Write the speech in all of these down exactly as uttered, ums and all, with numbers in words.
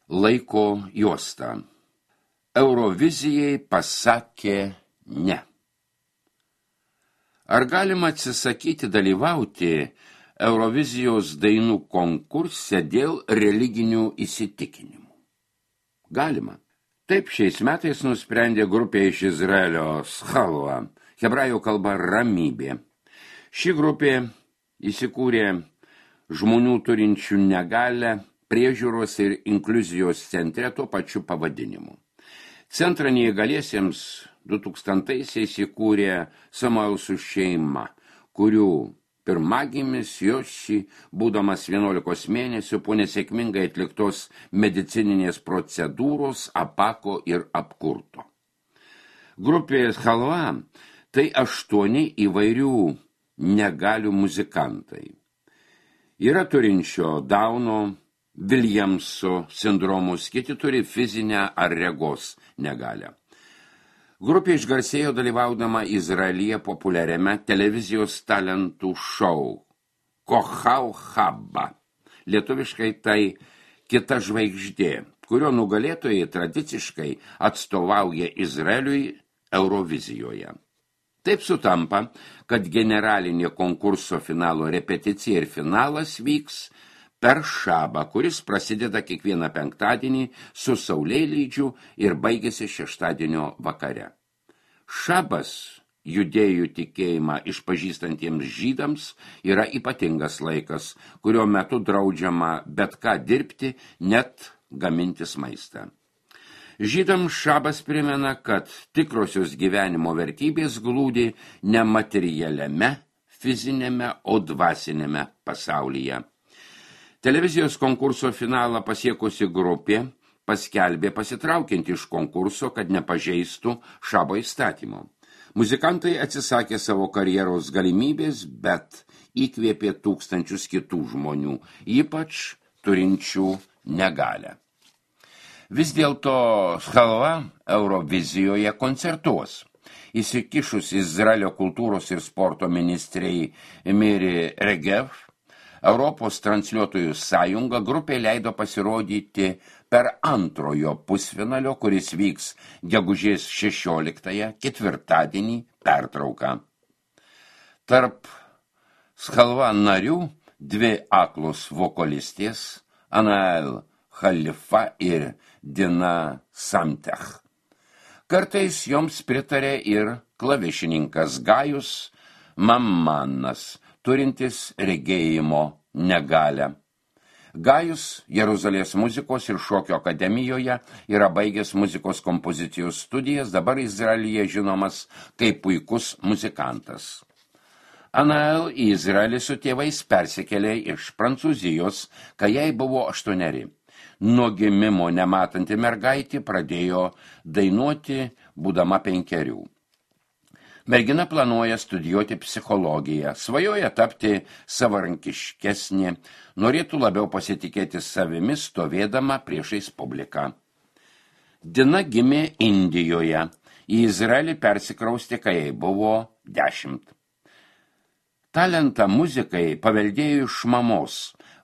laiko juostą. Eurovizijai pasakė ne. Ar galima atsisakyti dalyvauti Eurovizijos dainų konkurse dėl religinių įsitikinimų? Galima. Taip šiais metais nusprendė grupė iš Izraelio Schalva, hebrajų kalba ramybė. Ši grupė įsikūrė žmonių turinčių negalią priežiūros ir inkliuzijos centre tuo pačiu pavadinimu. Centrą neįgaliesiems du tūkstantaisiais įkūrė Samuelsų šeima, kurių pirmagimis Joši, būdamas vienuolikos mėnesių, po nesėkmingai atliktos medicininės procedūros apako ir apkurto. Grupė Schalva tai aštuoni įvairių negalių muzikantai. Yra turinčio Dauno, Viljamso sindromus, kiti turi fizinę ar regos negalią. Grupė išgarsėjo dalyvaudama Izraelyje populiariame televizijos talentų šou Kochau Habba. Lietuviškai tai kita žvaigždė, kurio nugalėtojai tradiciškai atstovauja Izraeliui Eurovizijoje. Taip sutampa, kad generalinė konkurso finalo repeticija ir finalas vyks per šabą, kuris prasideda kiekvieną penktadienį su saulėlydžiu ir baigėsi šeštadienio vakare. Šabas, judėjų tikėjimą išpažįstantiems žydams, yra ypatingas laikas, kurio metu draudžiama bet ką dirbti, net gamintis maistą. Žydams šabas primena, kad tikrosios gyvenimo vertybės glūdi ne materialiame, fizinėme, o dvasinėme pasaulyje. Televizijos konkurso finalą pasiekusi grupė paskelbė pasitraukiant iš konkurso, kad nepažeistų šabo įstatymo. Muzikantai atsisakė savo karjeros galimybės, bet įkvėpė tūkstančius kitų žmonių, ypač turinčių negalią. Vis dėlto Schalva Eurovizijoje koncertuos. Įsikišus Izraelio kultūros ir sporto ministrei Miri Regev, Europos transliuotojų sąjunga grupė leido pasirodyti per antrojo pusfinalio, kuris vyks gegužės šešioliktąją, ketvirtadienį, pertrauką. Tarp Schalva narių dvi aklos vokalistės, Anael Halifa ir Dina Samtech. Kartais joms pritarė ir klavišininkas Gajus Mammanas, turintis regėjimo negalią. Gajus Jeruzalės muzikos ir šokio akademijoje yra baigęs muzikos kompozicijos studijas, dabar Izraelyje žinomas kaip puikus muzikantas. Anael į Izraelį su tėvais persikėlė iš Prancūzijos, kai jai buvo aštuoneri. Nuo gimimo nematanti mergaitė pradėjo dainuoti, būdama penkerių. Mergina planuoja studijuoti psichologiją, svajoja tapti savarankiškesnė, norėtų labiau pasitikėti savimi stovėdama priešais publiką. Dina gimė Indijoje, į Izraelį persikraustė, kai jai buvo dešimt. Talentą muzikai paveldėjo iš mamos,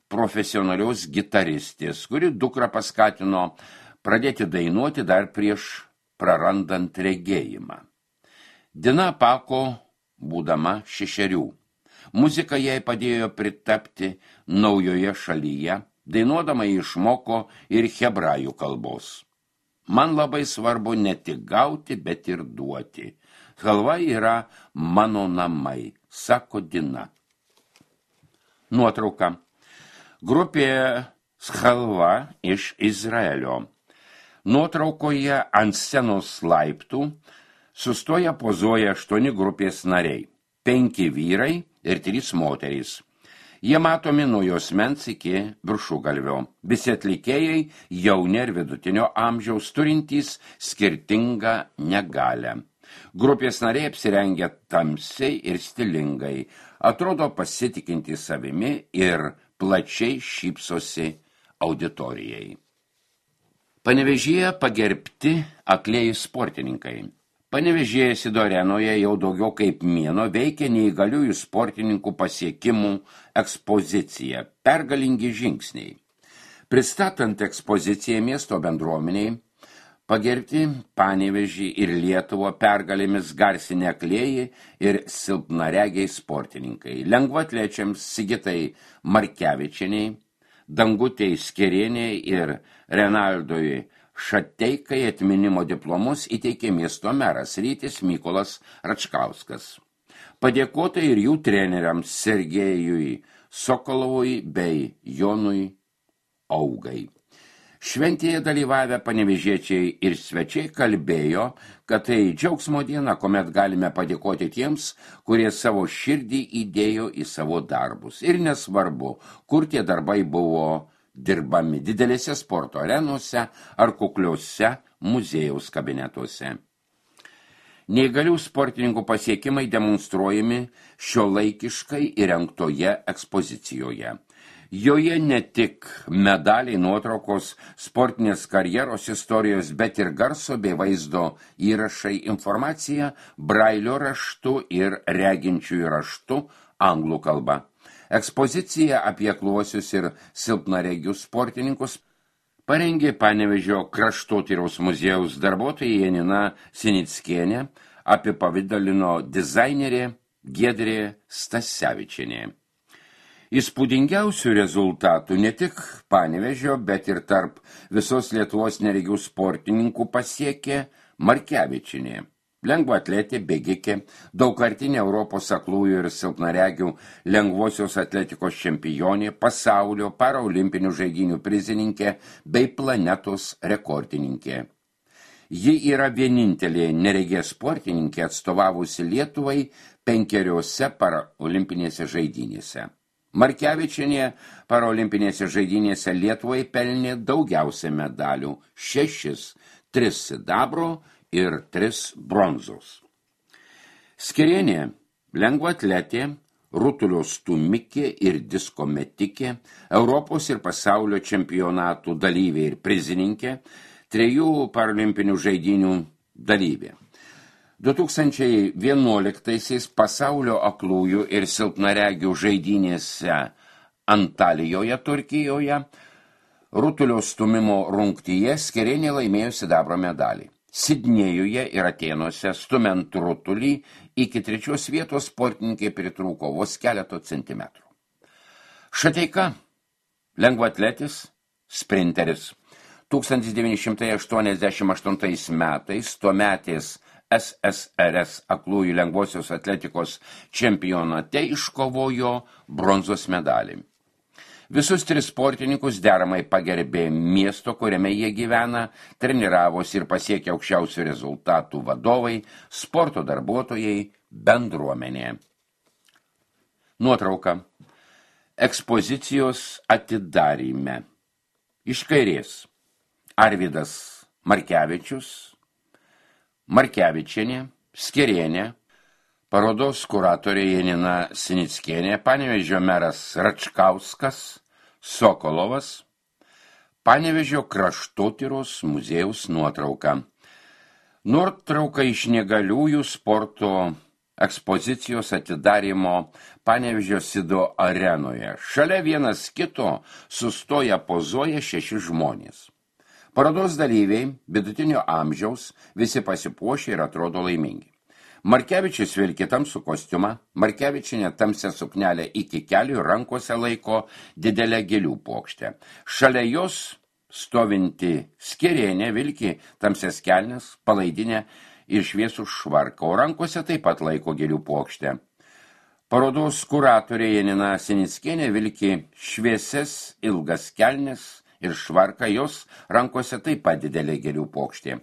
profesionalios gitaristės, kuri dukrą paskatino pradėti dainuoti dar prieš prarandant regėjimą. Dina apako, būdama šešerių. Muzika jai padėjo pritapti naujoje šalyje, dainuodama išmoko ir hebrajų kalbos. Man labai svarbu ne tik gauti, bet ir duoti. Schalva yra mano namai, sako Dina. Nuotrauka. Grupė Schalva iš Izraelio. Nuotraukoje ant scenos laiptų sustoja pozuoja aštuoni grupės nariai, penki vyrai ir trys moterys. Jie matomi nuo juosmens iki viršugalvio. Visi atlikėjai jauni ir vidutinio amžiaus turintys skirtingą negalią. Grupės nariai apsirengia tamsiai ir stilingai, atrodo pasitikinti savimi ir plačiai šypsosi auditorijai. Panevėžyje pagerbti aklieji sportininkai. Panevėžyje Sidorenoje jau daugiau kaip mėnuo veikia neįgaliųjų sportininkų pasiekimų ekspozicija, pergalingi žingsniai. Pristatant ekspoziciją miesto bendruomeniai, pagerbti Panevėžį ir Lietuvą pergalėmis garsinę aklieji ir silpnaregiai sportininkai. Lengvaatlečiams Sigitai Markevičieniai, Dangutei Skerieniai ir Renaldui Šateikai atminimo diplomus įteikė miesto meras Rytis Mykolas Račkauskas. Padėkota ir jų treneriams Sergejui Sokolovui bei Jonui Augai. Šventėje dalyvavę panevėžiečiai ir svečiai kalbėjo, kad tai džiaugsmo diena, kuomet galime padėkoti tiems, kurie savo širdį įdėjo į savo darbus. Ir nesvarbu, kur tie darbai buvo dirbami, didelėse sporto arenose ar kukliuose muziejaus kabinetuose. Neįgalių sportininkų pasiekimai demonstruojami šiuolaikiškai įrengtoje ekspozicijoje. Joje ne tik medaliai, nuotraukos, sportinės karjeros istorijos, bet ir garso bei vaizdo įrašai, informacija brailio raštu ir reginčiųjų raštu anglų kalba. Ekspozicija apie akluosius ir silpnaregius sportininkus parengė Panevėžio kraštotyros muziejaus darbuotoja Janina Sinickienė, apipavidalino dizainerė Giedrė Stasevičienė. Įspūdingiausių rezultatų ne tik Panevėžio, bet ir tarp visos Lietuvos neregių sportininkų pasiekė Markevičienė. Lengvaatletė, bėgikė, daugkartinė Europos aklųjų ir silpnaregių lengvosios atletikos čempionė, pasaulio paraolimpinių žaidynių prizininkė bei planetos rekordininkė. Ji yra vienintelė neregė sportininkė atstovavusi Lietuvai penkeriose paraolimpinėse žaidynėse. Markevičienė paraolimpinėse žaidynėse Lietuvai pelnė daugiausia medalių – šešis, tris sidabro ir tris bronzos. Skerienė – lengvaatletė, rutulio stūmikė ir disko metikė, Europos ir pasaulio čempionatų dalyvė ir prizininkė, trejų paralimpinių žaidynių dalyvė. du tūkstančiai vienuoliktaisiais pasaulio aklųjų ir silpnaregių žaidynėse Antalijoje, Turkijoje, rutulio stūmimo rungtyje Skerienė laimėjo sidabro medalį. Sidnėjuje ir Atėnuose stumiant rutulį iki trečios vietos sportininkai pritrūko vos keleto centimetrų. Šateika – lengvaatletis, sprinteris. tūkstantis devyni šimtai aštuoniasdešimt aštuntais metais tuometės S S R S aklųjų lengvosios atletikos čempionate iškovojo bronzos medalį. Visus tris sportininkus deramai pagerbė miesto, kuriame jie gyvena, treniravosi ir pasiekė aukščiausių rezultatų vadovai, sporto darbuotojai, bendruomenė. Nuotrauka. Ekspozicijos atidaryme. Iš kairės Arvydas Markevičius, Markevičienė, Skerienė, parodos kuratorė Janina Sinickienė, Panevėžio meras Račkauskas, Sokolovas, Panevėžio kraštotyros muziejaus nuotrauka. Nuotrauka iš neįgaliųjų sporto ekspozicijos atidarymo Panevėžio Sido arenoje. Šalia vienas kito sustoja pozuoja šeši žmonės. Parodos dalyviai, vidutinio amžiaus, visi pasipuošė ir atrodo laimingi. Markevičius vilki tamsų kostiumą, Markevičienė tamsią suknelę iki kelių ir rankose laiko didelę gėlių puokštę. Šalia jos stovinti Skerienė vilki tamsias kelnes, palaidinę ir šviesų švarką, o rankose taip pat laiko gėlių puokštę. Parodos kuratorė Janina Sinickienė vilki šviesias ilgas kelnes ir švarka, jos rankose taip pat didelė gėlių puokštė.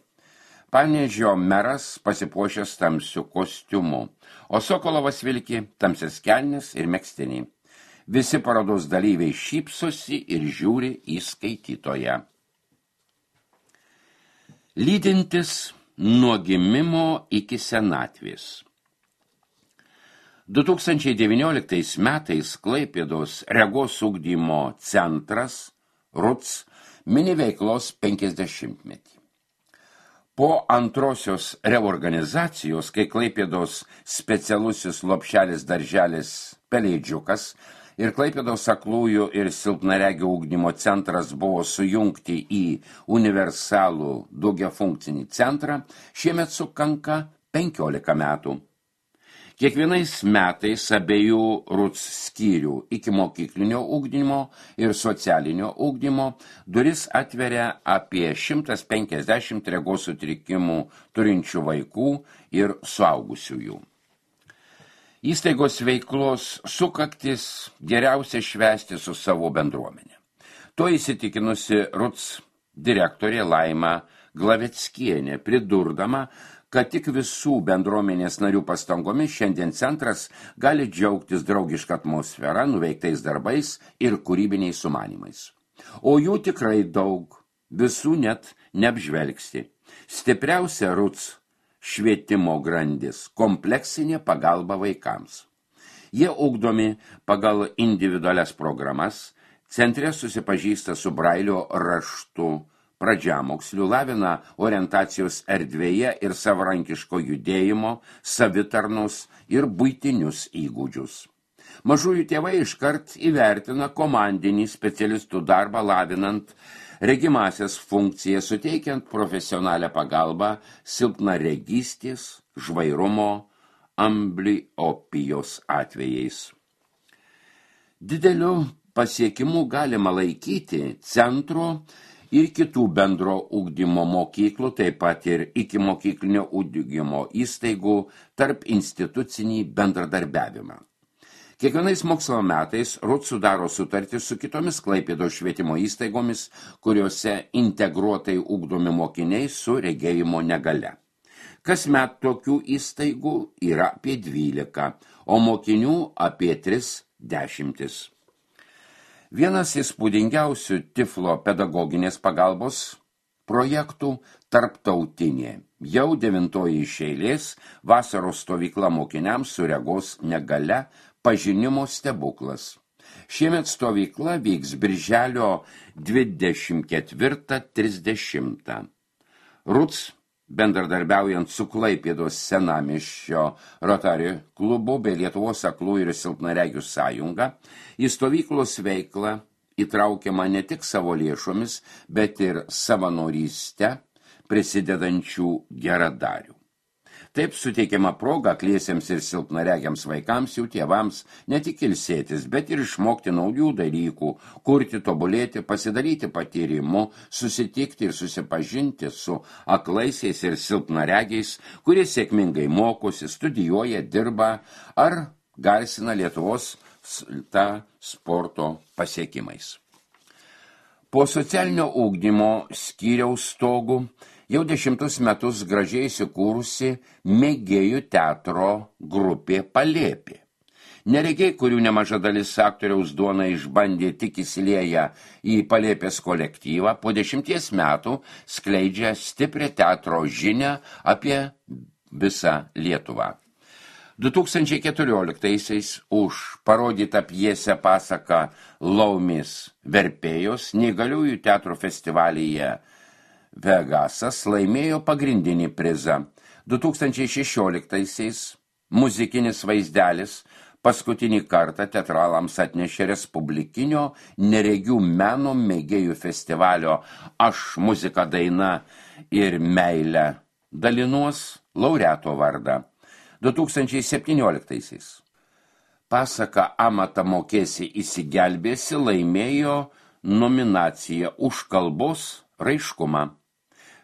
Panevėžio meras pasipuošęs tamsiu kostiumu, o Sokolovas vilki tamsias kelnes ir megztinį. Visi parodos dalyviai šypsosi ir žiūri į skaitytoją. Lydintis nuo gimimo iki senatvės. du tūkstančiai devynioliktais metais Klaipėdos regos ugdymo centras R U C mini veiklos penkiasdešimtmetį. Po antrosios reorganizacijos, kai Klaipėdos specialusis lopšelis darželis Pelėdžiukas ir Klaipėdos aklųjų ir silpnaregių ugdymo centras buvo sujungti į universalų daugiafunkcinį centrą, šiemet sukanka penkiolika metų. Kiekvienais metais abiejų RUC skyrių iki mokyklinio ugdymo ir socialinio ugdymo duris atveria apie šimtas penkiasdešimt regos sutrikimų turinčių vaikų ir suaugusiųjų. Įstaigos veiklos sukaktis geriausia švęsti su savo bendruomenė. To įsitikinusi RUC direktorė Laima Glaveckienė, pridurdama, kad tik visų bendruomenės narių pastangomis šiandien centras gali džiaugtis draugišką atmosferą, nuveiktais darbais ir kūrybiniais sumanymais. O jų tikrai daug, visų net neapžvelgsi. Stipriausia RUC švietimo grandis – kompleksinė pagalba vaikams. Jie ugdomi pagal individualias programas, centre susipažįsta su Brailio raštu, pradžiamokslių, lavina orientacijos erdvėje ir savarankiško judėjimo, savitarnos ir buitinius įgūdžius. Mažųjų tėvai iškart įvertina komandinį specialistų darbą lavinant regimasias funkcijas, suteikiant profesionalią pagalbą silpnaregystės, žvairumo, ambliopijos atvejais. Dideliu pasiekimu galima laikyti centro ir kitų bendro ugdymo mokyklų, taip pat ir iki mokyklinio ugdymo įstaigų tarp institucinį bendradarbiavimą. Kiekvienais mokslo metais RUC sudaro sutartį su kitomis Klaipėdos švietimo įstaigomis, kuriuose integruotai ugdomi mokiniai su regėjimo negalia. Kasmet tokių įstaigų yra apie dvylika, o mokinių apie tris dešimtis. Vienas įspūdingiausių Tiflo pedagoginės pagalbos projektų tarptautinė, jau devintoji iš eilės vasaros stovykla mokiniams su regos negalia pažinimo stebuklas. Šiemet stovykla vyks birželio dvidešimt ketvirtą trisdešimtą. RUC bendradarbiaujant su Klaipėdos senamiesčio Rotary klubu bei Lietuvos aklų ir silpnaregių sąjunga, į stovyklos veiklą įtraukiama ne tik savo lėšomis, bet ir savanoryste prisidedančių geradarių. Taip suteikiama proga akliesiems ir silpnaregiams vaikams, jų tėvams ne tik ilsėtis, bet ir išmokti naujų dalykų, kurti, tobulėti, pasidaryti patyrimu, susitikti ir susipažinti su aklaisiais ir silpnaregiais, kurie sėkmingai mokosi, studijuoja, dirba ar garsina Lietuvos tą sporto pasiekimais. Po socialinio ugdymo skyriaus stogų jau dešimtus metus gražiai įsikūrusi mėgėjų teatro grupė Palėpė. Neregiai, kurių nemaža dalis aktoriaus duoną išbandė tik įsilieję į Palėpės kolektyvą, po dešimties metų skleidžia stiprią teatro žinią apie visą Lietuvą. du tūkstančiai keturioliktaisiais už parodytą pjesę pasaką Laumis verpėjos neįgaliųjų teatro festivalyje Vegasas laimėjo pagrindinį prizą. du tūkstančiai šešioliktaisiais muzikinis vaizdelis paskutinį kartą teatralams atnešė Respublikinio neregių meno mėgėjų festivalio Aš muzika daina ir meilę dalinuos laureato vardą. du tūkstančiai septynioliktaisiais pasaka Amatą mokėsi įsigelbėsi laimėjo nominaciją už kalbos raiškumą.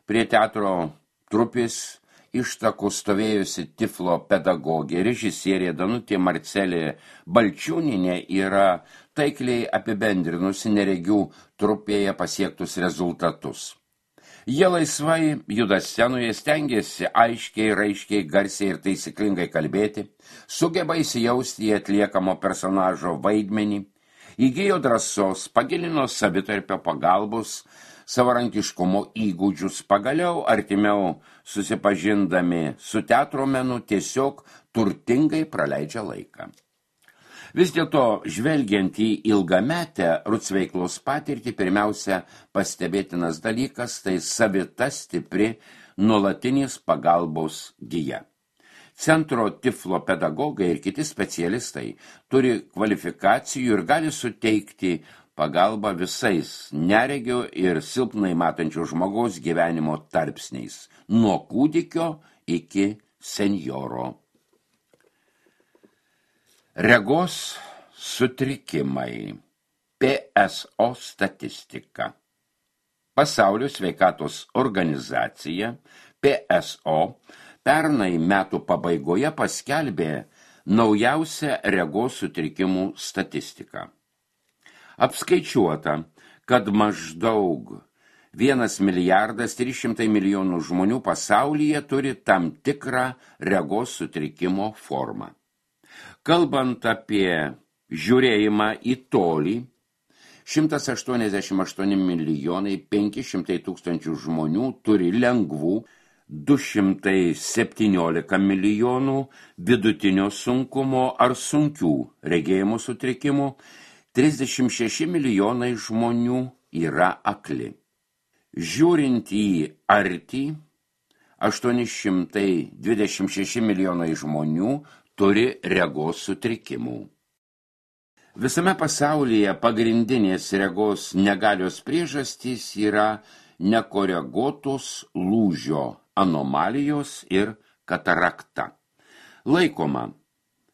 Prie teatro trupės ištakų stovėjusi Tiflo pedagogė, režisierė Danutė Marcelė Balčiūninė yra taikliai apibendrinusi neregių trupėje pasiektus rezultatus. Jie laisvai juda scenoje, stengiasi aiškiai, raiškiai, garsiai ir taisyklingai kalbėti, sugeba įsijausti į atliekamo personažo vaidmenį, įgijo drąsos, pagilino savitarpio pagalbos, savarankiškumo įgūdžius, pagaliau artimiau susipažindami su teatro menu tiesiog turtingai praleidžia laiką. Vis dėlto, žvelgiant į ilgametę RUC veiklos patirtį, pirmiausia pastebėtinas dalykas, tai savita stipri nuolatinės pagalbos gija. Centro tiflo pedagogai ir kiti specialistai turi kvalifikacijų ir gali suteikti pagalbą visais neregio ir silpnai matančių žmogaus gyvenimo tarpsniais, nuo kūdikio iki senjoro. Regos sutrikimai. P S O statistika. Pasaulio sveikatos organizacija P S O pernai metų pabaigoje paskelbė naujausią regos sutrikimų statistiką. Apskaičiuota, kad maždaug vienas milijardas trys šimtai milijonų žmonių pasaulyje turi tam tikrą regos sutrikimo formą. Kalbant apie žiūrėjimą į tolį, šimtas aštuoniasdešimt aštuoni milijonai penki šimtai tūkstančių žmonių turi lengvų, du šimtai septyniolika milijonų vidutinio sunkumo ar sunkių regėjimo sutrikimų, trisdešimt šeši milijonai žmonių yra akli. Žiūrint į artį, aštuoni šimtai dvidešimt šeši milijonai žmonių turi regos sutrikimų. Visame pasaulyje pagrindinės regos negalios priežastys yra nekoreguotos lūžio anomalijos ir katarakta. Laikoma,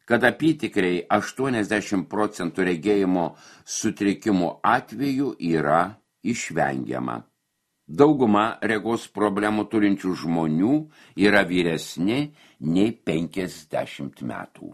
kad apytikriai aštuoniasdešimt procentų regėjimo sutrikimų atvejų yra išvengiama. Dauguma regos problemų turinčių žmonių yra vyresni nei penkiasdešimt metų.